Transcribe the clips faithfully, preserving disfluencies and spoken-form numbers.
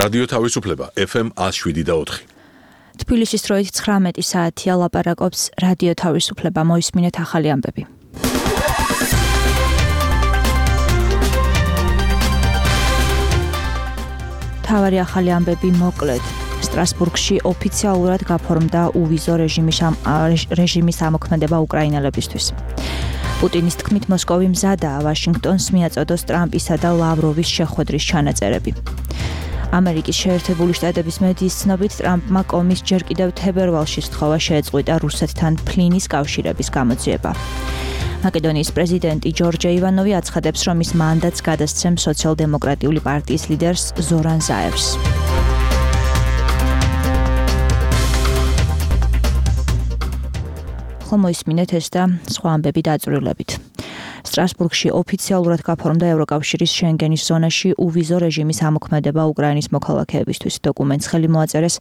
რადიო თავისუფლება ეფ ემ ათს შვიდი და ოთხი. თბილისის დროით ცხრამეტი საათია, ლაპარაკობს რადიო თავისუფლება, მოისმინეთ ახალი ამბები. თავარი ახალი ამბები მოკლედ. სტრასბურგში ოფიციალურად გაფორმდა უვიზო რეჟიმის რეჟიმის ამოქმედება უკრაინელებისთვის. პუტინის თქმით მოსკოვი მზადაა ვაშინგტონს მიაწოდოს ტრამპისა და ლავროვის შეხვედრის ჩანაწერები. ამერიკის შეერთებული შტატების მედიის ცნობით ტრამპმა კომის ჯერ კიდევ თებერვალში სთხოვა შეეწყვიტა რუსეთთან ფლინის კავშირების გამოძიება. მაკედონიის პრეზიდენტი ჯორჯ ივანოვი აცხადებს, რომ ის მანდატს გადასცემს სოციალ-დემოკრატიული პარტიის ლიდერს ზორან ზაევს. ხომ მოისმინეთ ეს და სხვა ამბები დაწვრილებით. სტრასბურგში ოფიციალურად გაფორმდა ევროკავშირის შენგენის ზონაში უვიზო რეჟიმის ამოქმედება უკრაინის მოქალაქეებისთვის. დოკუმენტს ხელი მოაწერეს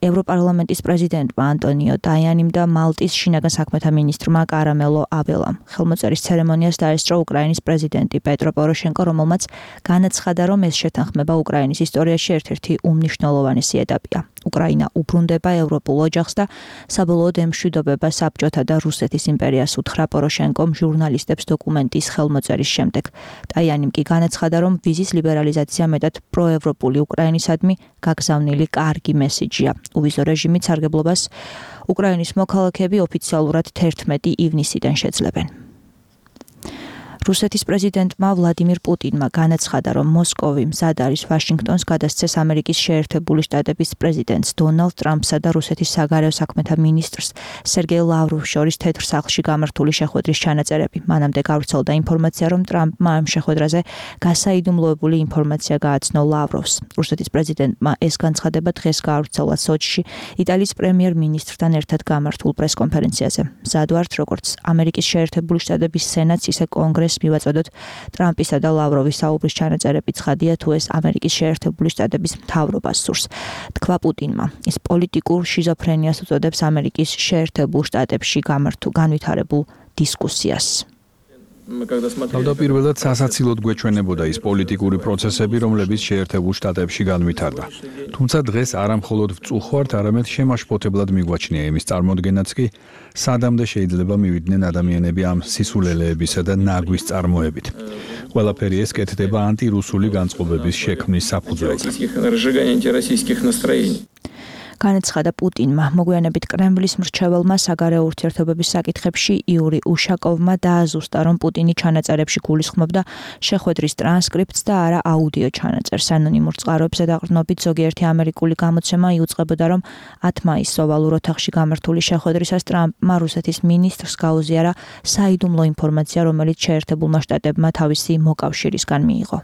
ევროპარლამენტის პრეზიდენტმა ანტონიო ტაიანიმ და მალტის შინაგან საქმეთა მინისტრმა კარამელო აბელამ. ხელმოწერის ცერემონიას დაესწრო უკრაინის პრეზიდენტი პეტრო პოროშენკო, რომელმაც განაცხადა, რომ ეს შეთანხმება უკრაინის ისტორიაში ერთ-ერთი უმნიშვნელოვანესი ეტაპია. უკრაინა უბრუნდება ევროპულ ოჯახს და საბოლოოდ ემშვიდობება საბჭოთა და რუსეთის იმპერიას, უთხრა პოროშენკომ ჟურნალისტებს დოკუმენტის ხელმოწერის შემდეგ. ტაიანიმ კი განაცხადა, რომ ვიზის ლიბერალიზაცია მეტად პროევროპული უკრაინისადმი გაგზავნილი კარგი მესიჯია. უვიზო რეჟიმით სარგებლობას უკრაინის მოქალაქეები ოფიციალურად თერთმეტი ივნისიდან შეძლებენ. რუსეთის პრეზიდენტმა ვლადიმირ პუტინმა განაცხადა, რომ მოსკოვი მზად არის ვაშინგტონს გადასცეს ამერიკის შეერთებული შტატების პრეზიდენტს დონალდ ტრამპსა და რუსეთის საგარეო საქმეთა მინისტრს სერგეი ლავროვს შორის თეთრ სახლში გამართული შეხვედრის ჩანაწერები. მანამდე გავრცელდა ინფორმაცია, რომ ტრამპმა ამ შეხვედრაზე გასაიდუმლოებული ინფორმაცია გააცნო ლავროვს. რუსეთის პრეზიდენტმა ეს განცხადება დღეს გაავრცელა სოჩში იტალიის პრემიერ-მინისტრთან ერთად გამართულ პრესკონფერენციაზე. მზად ვართ, როგორც ამერიკის შეერთებული შტატების სენატს, ისე კონგრესს მივაწოდოთ ტრამპისა და ლავროვის საუბრის ჩანაწერები. ცხადია, თუ ეს ამერიკის შეერთებული შტატების მთავრობას სურს, თქვა პუტინმა. ის პოლიტიკურ შიზოფრენიას უწოდებს ამერიკის შეერთებულ შტატებში გამართულ განვითარებულ დისკუსიას. თავდაპირველად სასაცილოდ გვეჩვენებოდა ის პოლიტიკური პროცესები, რომლებიც შეერთებულ შტატებში განვითარდა. თუმცა დღეს არა მხოლოდ ვწუხართ, არამედ შემაშფოთებლად მიგვაჩნია იმის წარმოდგენაც კი, სადამდე შეიძლება მივიდნენ ადამიანები ამ სისულელეებისა და ნაგვის წარმოებით. ყველაფერი ეს კეთდება ანტირუსული განწყობების შექმნის საფუძველზე. განაცხადა პუტინმა. მოგვიანებით კრემლის მრჩეველმა საგარეო ურთიერთობების საკითხებში იური უშაკოვმა დააზუსტა, რომ პუტინი ჩანაწერებში გულისხმობდა შეხვედრის ტრანსკრიპტს და არა აუდიო ჩანაწერს. ანონიმურ წყაროებზე დაყრდნობით ზოგიერთი ამერიკული გამოცემა იუწყებოდა, რომ ათ მაისს ოვალურ ოთახში გამართული შეხვედრისას ტრამპმა რუსეთის მინისტრს გაუზიარა საიდუმლო ინფორმაცია, რომელიც შეერთებულმა შტატებმა თავისი მოკავშირისგან მიიღო.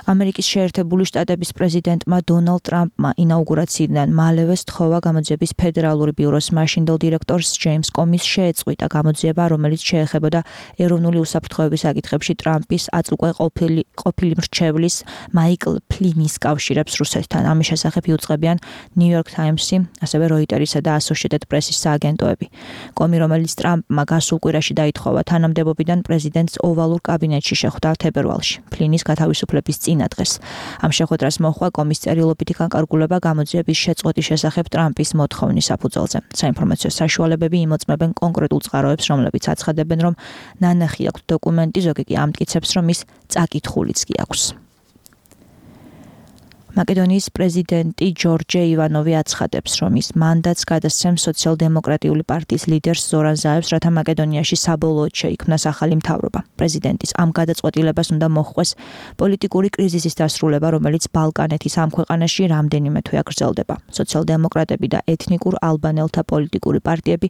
ამერიკის შეერთებული შტატების პრეზიდენტმა დონალდ ტრამპმა ინაუგურაციიდან მალევე სთხოვა გამოძიების ფედერალური ბიუროს მაშინდელ დირექტორს ჯეიმს კომის შეეწყვიტა გამოძიება, რომელიც შეეხებოდა ეროვნული უსაფრთხოების საკითხებში ტრამპის აწუყვე ყოფილი ყოფილი მრჩევლის მაიკლ ფლინის კავშირებს რუსეთთან. ამის შესახებ იუწყებიან ნიუ-იორკ ტაიმსი, ასევე როიტერისა და ასოციეტედ პრესის სააგენტოები. კომი, რომელიც ტრამპმა გასულ კვირაში დაითხოვა თანამდებობიდან, პრეზიდენტს ოვალურ კაბინეტში შეხვდა თებერვალში. ფლინის გათავისუფლების წინადღეს. ამ შეხვედრას მოჰყვა კომის წერილობითი განკარგულება გამოძიების შეწყვეტის შესახებ ტრამპის მოთხოვნის საფუძველზე. საინფორმაციო საშუალებები იმოწმებენ კონკრეტულ წყაროებს, რომლებიც აცხადებენ, რომ ნანახი აქვს დოკუმენტი, ზოგი კი ამტკიცებს, რომ ის წაკითხულიც კი აქვს. მაკედონიის პრეზიდენტი ჯორჯ ივანოვი აცხადებს, რომ ის მანდატს გადასცემს სოციალ-დემოკრატიული პარტიის ლიდერს ზორან ზაევს, რათა მაკედონიაში საბოლოოდ შეიქმნას ახალი მთავრობა. პრეზიდენტის ამ გადაწყვეტილებას უნდა მოჰყვეს პოლიტიკური კრიზისის დასრულება, რომელიც ბალკანეთის ამ ქვეყანაში რამდენიმე თვე გრძელდება. სოციალ-დემოკრატები და ეთნიკურ ალბანელთა პოლიტიკური პარტიები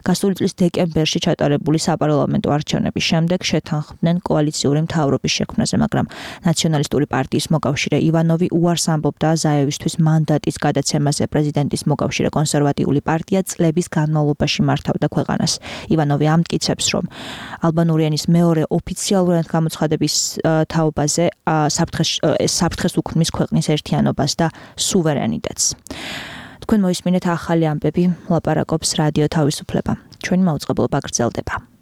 გასული წლის დეკემბერში ჩატარებული საპარლამენტო არჩევნების შემდეგ შეთანხმდნენ კოალიციური მთავრობის შექმნაზე, მაგრამ ნაციონალისტური პარტიის მოკავშირე ივანოვი უარს ამბობდა ზაევისთვის მანდატის გადაცემაზე. პრეზიდენტის მოკავშირე კონსერვატიული პარტია წლების განმავლობაში მართავდა ქვეყანას. ივანოვი ამტკიცებს, რომ ალბანური ენის მეორე ოფიციალურად გამოცხადების თაობაზე საფრთხეს უქმნის ქვეყნის ერთიანობას და სუვერენიტეტს. თქვენ მოისმინეთ ახალი ამბები, ლაპარაკობს რადიო თავისუფლება. ჩვენი მაუწყებლობა გრძელდება.